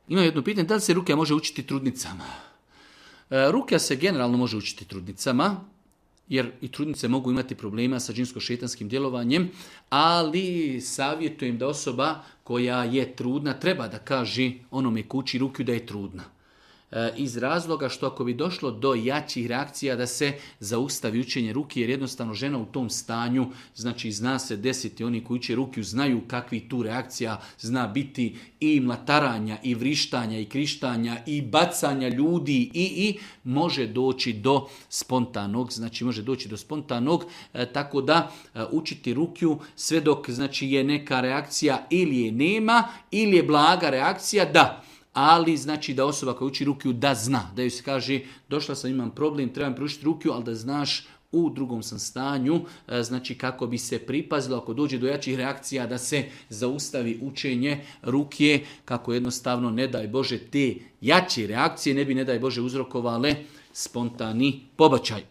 Ima jedno pitanje, da li se rukja može učiti trudnicama? Rukja se generalno može učiti trudnicama, jer i trudnice mogu imati problema sa džinsko-šejtanskim djelovanjem, ali savjetujem da osoba koja je trudna treba da kaže onome ko uči rukju da je trudna. Iz razloga što ako bi došlo do jačih reakcija da se zaustavi učenje ruki, jer jednostavno žena u tom stanju, znači zna se desiti, oni koji uče rukiju znaju kakvi tu reakcija zna biti i mlataranja, i vrištanja, i krištanja, i bacanja ljudi, i može doći do spontanog, znači može doći do spontanog, tako da učiti rukiju sve dok znači je neka reakcija ili je nema, ili je blaga reakcija, da. Ali znači da osoba koja uči rukiju da zna, da joj se kaže došla sam, imam problem, trebam pručiti rukiju, ali da znaš u drugom sam stanju, znači kako bi se pripazilo ako dođe do jačih reakcija da se zaustavi učenje rukije, kako jednostavno ne daj Bože te jače reakcije ne bi ne daj Bože uzrokovale spontani pobačaj.